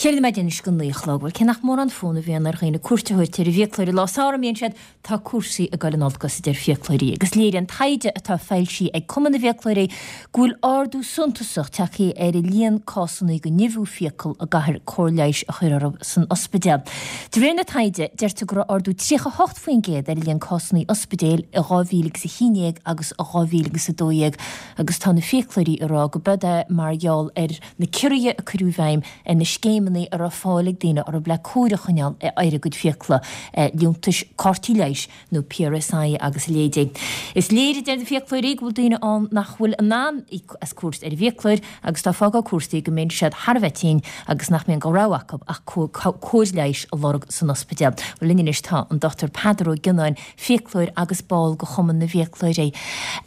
4 nóiméad anois go 9 a chlog. Bhuel, cé nach mórán fonn a bhíonn ar dhaoine cuairt a thabhairt ar an bhfiaclóir i lá samhraidh, mbíonn siad, tá cúrsaí ag dul in olcas, a deir fiaclóirí. Agus léiríonn taighde atá foilsithe ag Cumann na bhFiaclóirí go bhfuil ardú suntasach tagtha ar an líon cásanna de nimhiú fiacal a gcaithfear cóir leighis a chur orthu san ospidéal. De réir na taighde, deirtear go raibh ardú 38% ar an líon cásanna ospidéil i 2011 agus 2012 agus tá na fiaclóirí ag rá go b'eod é mar gheall ar na ciorruithe a cuireadh i bhfeidhm ar na scéimeanna a raibh fáil ag daoine orthu le cóir a choinneáil ar a gcuid fiacla, liúntais cártaí leighis nó PRSI agus a leithéidí. Is léir, a deir na fiaclóirí, go bhfuil daoine ann nach bhfuil in ann íoc as cuairt ar an bhfiaclóir agus dá bhfágfadh cúrsaí go mbíonn siad thar a bheith tinn agus nach mbíonn de rogha acu ach cóir leighis a lorg san ospidéal. Bhuel, linn anois tá an Dr Peadar Ó Gionnáin, fiaclóir agus ball de Chumann na bhFiaclóirí.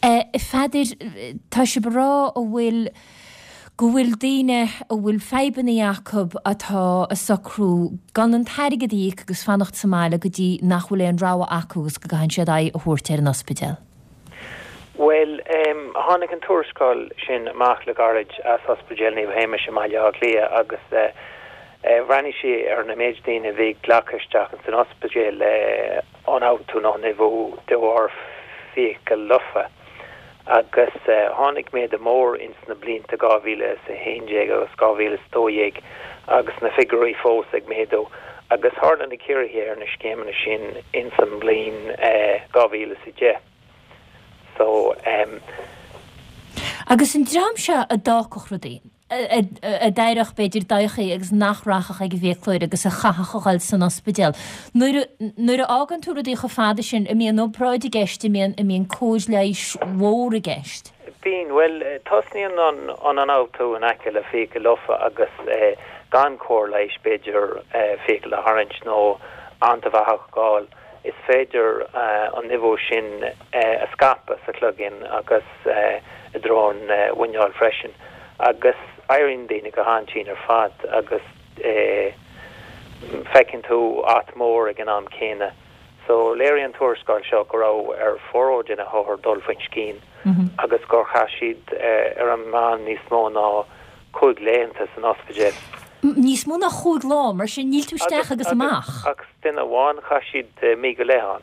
A Pheadair, tá sibh ag rá a bhfuil. go bhfuil daoine a bhfuil fadhbanna acu atá ag socrú gan an t-airgead a íoc agus fanacht sa mbaile go dtí nach bhfuil aon rogha acu agus go gcaitheann siad aghaidh a thabhairt ar an ospidéal. Bhuel, tháinig an tuarascáil sin amach le gairid as Ospidéal Naomh Shéamais i mBaile Átha Cliath agus bhreathnaigh sí ar an méid daoine a bhí glactha isteach ins an ospidéal le ionfhabhtú nó nimhiú de bharr fiacail lofa. Agus tháinig méadú mór ins na blianta 2011 agus 2012 agus na figiúirí fós ag méadú agus tharla na ciorruithe ar na scéimeanna sin ins an mbliain 2010. So. Agus an dream seo a d'fhágfadh rudaí, a d'éireodh, b'fhéidir, dodhchaí agus nach rachadh ag an bhfiaclóir agus a chaithfeadh a dhul san ospidéal. Nuair a, nuair a fhágann tú rudaí chomh fada sin, an mbíonn obráid i gceist, an mbíonn, an mbíonn cóir leighis mhór i gceist? Bíonn. Bhuel, tosnaíonn an, an ionfhabhtú in aice le fiacail lofa agus gan cóir leighis, b'fhéidir fiacail a tharraingt nó antaibheathach a fháil. Is féidir an nimhiú sin a scaipeadh sa chloigeann agus i dtreo an mhuineáil freisin agus éiríonn daoine go han-tinn ar fad agus feiceann tú at mór ag an am céanna. So léirigh an tuarascáil seo go raibh ar formhór de na hothair dul faoin scian agus gur chaith siad ar an meán níos mó ná 5 laethanta san ospidéal. Níos mó ná chúig lá, mar sin níl tú isteach agus amach. Agus duine amháin, chaith siad mí go leith ann.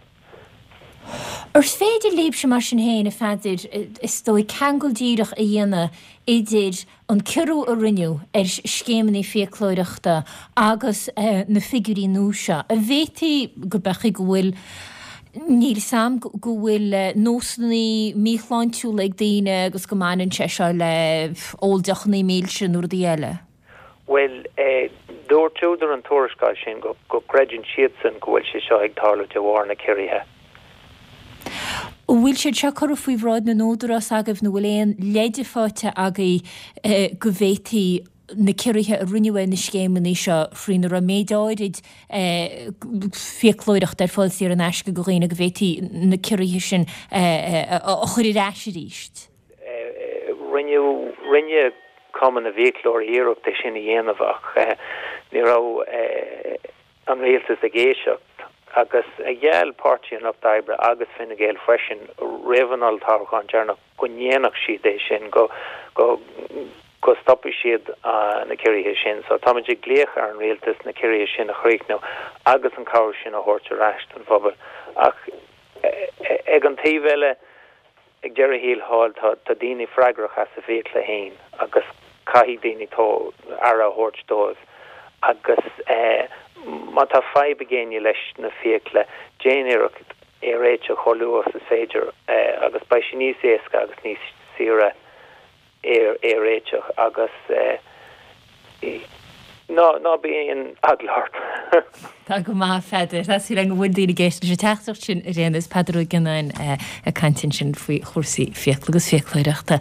Ar féidir libhse mar sin féin, a Pheadair, is dóigh, ceangal díreach a dhéanamh idir an ciorrú a rinneadh ar scéimeanna fiaclóireachta agus na figiúirí nua seo? An bhféadfaí go b'fhéidir go bhfuil Níl 's a'm go bhfuil nósanna míshláintiúla ag daoine agus go mbaineann sé seo le ól deochanna milse nó rudaí eile. Bhuel, dúirt údair an tuarascáil sin go gcreideann siadsan go bhfuil sé seo ag tarlú de bharr na ciorruithe. An bhfuil siad seo curtha faoi bhráid na n-údarás agaibh nó bhfuil aon leide faighte agaibh go bhféadfaí na ciorruithe a rinneadh ar na scéimeanna seo faoina raibh méid áirid fiaclóireachta ar fáil saor in aisce do dhaoine go bhféadfaí na ciorruithe sin a chur ar ais arís? Rinneadh, rinne Cumann na bhFiaclóirí iarracht é sin a dhéanamh ach ní raibh an rialtas ag éisteacht agus gheall Páirtí an Lucht Oibre agus Fine Gael freisin roimh an olltoghchán deireanach go ndéanfadh siad é sin, go, go, go stopfaidh siad na ciorruithe sin. So táimid ag glaoch ar an rialtas na ciorruithe sin a chríochnú agus an cabhair sin a thabhairt ar ais don phobal. Ach ag an taobh eile, ag deireadh thiar thall, tá tá daoine freagrach as a bhfiacla féin agus caithfidh daoine aire a thabhairt dóibh agus má tá fadhb ag éinne leis na fiacla, déan iarracht é a réiteach chomh luath is is féidir agus beidh sé níos éasca agus níos saoire é a réiteach agus ná ná bíodh aon eagla ort. Tá go maith, a Pheadair. Tá súil agam go bhfuil daoine ag éisteacht leis an teachtaireacht sin ar aon nós. Peadar Ó Gionnáin ag caint ansin faoi chúrsaí fiacla agus fiaclóireachta.